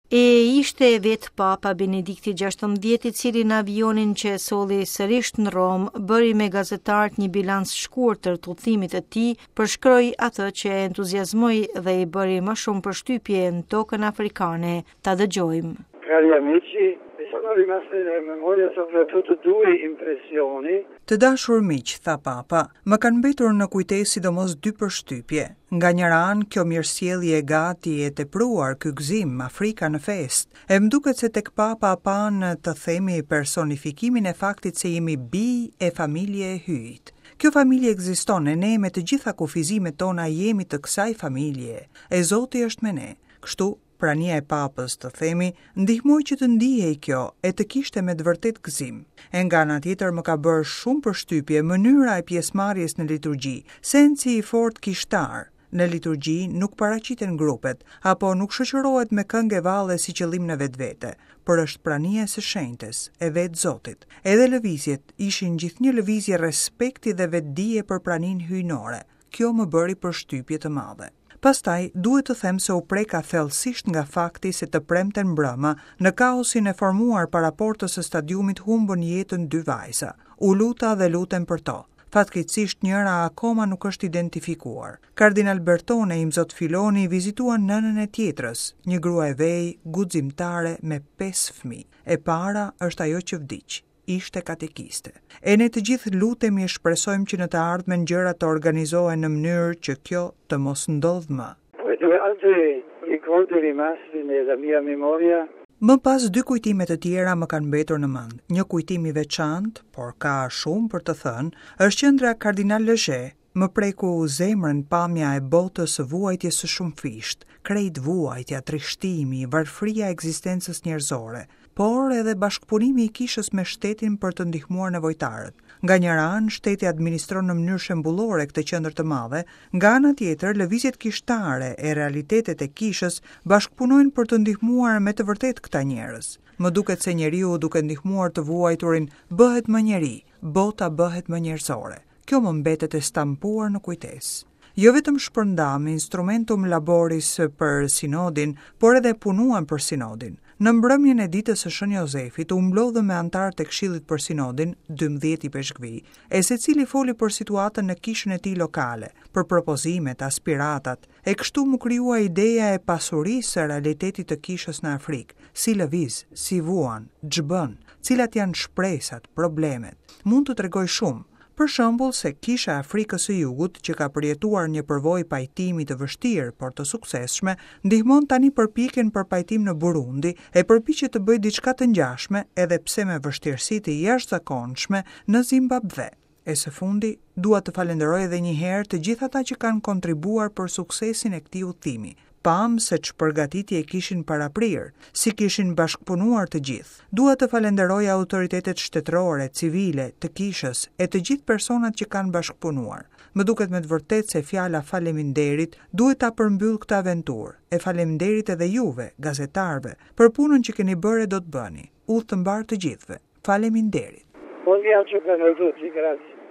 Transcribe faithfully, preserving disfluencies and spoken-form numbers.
E ishte vetë Papa Benedikti gjashtëmbëdhjetë i cili në avionin që e solli sërish në Romë, bëri me gazetarët një bilanc shkurtër të udhëtimit të tij, përshkroi atë që e entuziazmoi dhe i bëri më shumë përshtypje në tokën afrikane. Ta dëgjojmë. Cari amici, mi sono rimaste nella memoria soprattutto due impressioni. Të dashur miq, tha Papa, më kanë mbetur në kujtesë sidomos dy përshtypje. Nga njëra anë, kjo mirësjellje e gati e tepruar, ky gëzim, Afrika në festë. E më duket se tek Papa panë, të themi, personifikimin e faktit se jemi bij e familje e Hyjit. Kjo familje ekziston e ne me të gjitha kufizimet tona jemi të kësaj familje. E Zoti është me ne. Kështu, prania e Papës, të themi, ndihmoi që të ndihej kjo e të kishte me të vërtet gëzim. E nga ana tjetër më ka bërë shumë përshtypje mënyra e pjesëmarrjes në liturgji, sensi i fortë kishtar. Në liturgji nuk paraqiten grupet, apo nuk shoqërohet me këngë e valle si qëllim në vetvete, por është prania e së shenjtës, e vetë Zotit. Edhe lëvizjet ishin gjithnjë lëvizje respekti dhe vetëdije për praninë hyjnore. Kjo më bëri përshtypje të madhe. Pastaj, duhet të them se u preka thellësisht nga fakti se të premten mbrëma, në kaosin e formuar para portës së stadiumit humbën jetën dy vajza. U luta dhe lutem për to. Fatkeqësisht njëra akoma nuk është identifikuar. Kardinal Bertone e Imzot Filoni vizituan nënën e tjetrës, një grua e vej, guximtare me pesë fëmijë. E para është ajo që vdiq, ishte katekiste. E ne të gjithë lutemi e shpresojmë që në të ardhmen gjërat të organizohen në mënyrë që kjo të mos ndodhë më. Poi due altri ricordi rimasti nella mia memoria. Më pas dy kujtime të tjera më kanë mbetur në mend. Një kujtim i veçantë, por ka shumë për të thënë, është qendra Kardinal Lezhe. Më preku zemrën pamja e botës së vuajtjes së shumëfisht, krejt vuajtja, trishtimi, varfëria e ekzistencës njerëzore, por edhe bashkëpunimi i kishës me shtetin për të ndihmuar nevojtarët. Nga njëra anë, shteti administron në mënyrë shembullore këtë qendër të madhe, nga ana tjetër, lëvizjet kishtare e realitetet e kishës bashkëpunojnë për të ndihmuar me të vërtetë këta njerëz. Më duket se njeriu duke ndihmuar të vuajturin bëhet më njeri, bota bëhet më njerëzore. Kjo më mbetet e stampuar në kujtesë. Jo vetëm shpërndam instrumentum laboris për sinodin, por edhe punuam për sinodin. Në mbrëmjen e ditës së Shën Jozefit u mblodhëm me anëtarët e Këshillit për Sinodin, dymbëdhjetë ipeshkvi, e secili foli për situatën në kishën e tij lokale, për propozimet, aspiratat, e kështu mu krijua ideja e pasurisë së realitetit të kishës në Afrikë, si lëviz, si vuan, ç'bën, cilat janë shpresat, problemet. Mund të tregoj shumë. Për shembull se kisha e Afrikës së Jugut, që ka përjetuar një përvojë pajtimi të vështirë, por të suksesshme, ndihmon tani përpjekjen për pajtim në Burundi e përpiqet të bëjë diçka të ngjashme, edhe pse me vështirësi të jashtëzakonshme në Zimbabve. E së fundi, dua të falenderoj edhe një herë të gjithë ata që kanë kontribuar për suksesin e këtij udhëtimi. Pam se ç'përgatitje kishin paraprirë, si kishin bashkëpunuar të gjithë. Dua të falenderoj autoritetet shtetërore, civile, të kishës e të gjithë personat që kanë bashkëpunuar. Më duket me të vërtetë se fjala faleminderit duhet ta përmbyll këtë aventurë. E faleminderit edhe juve, gazetarëve, për punën që keni bërë e do të bëni. Udhë të mbarë të gjithëve. Faleminderit. Buon viaggio per noi tutti, grazie.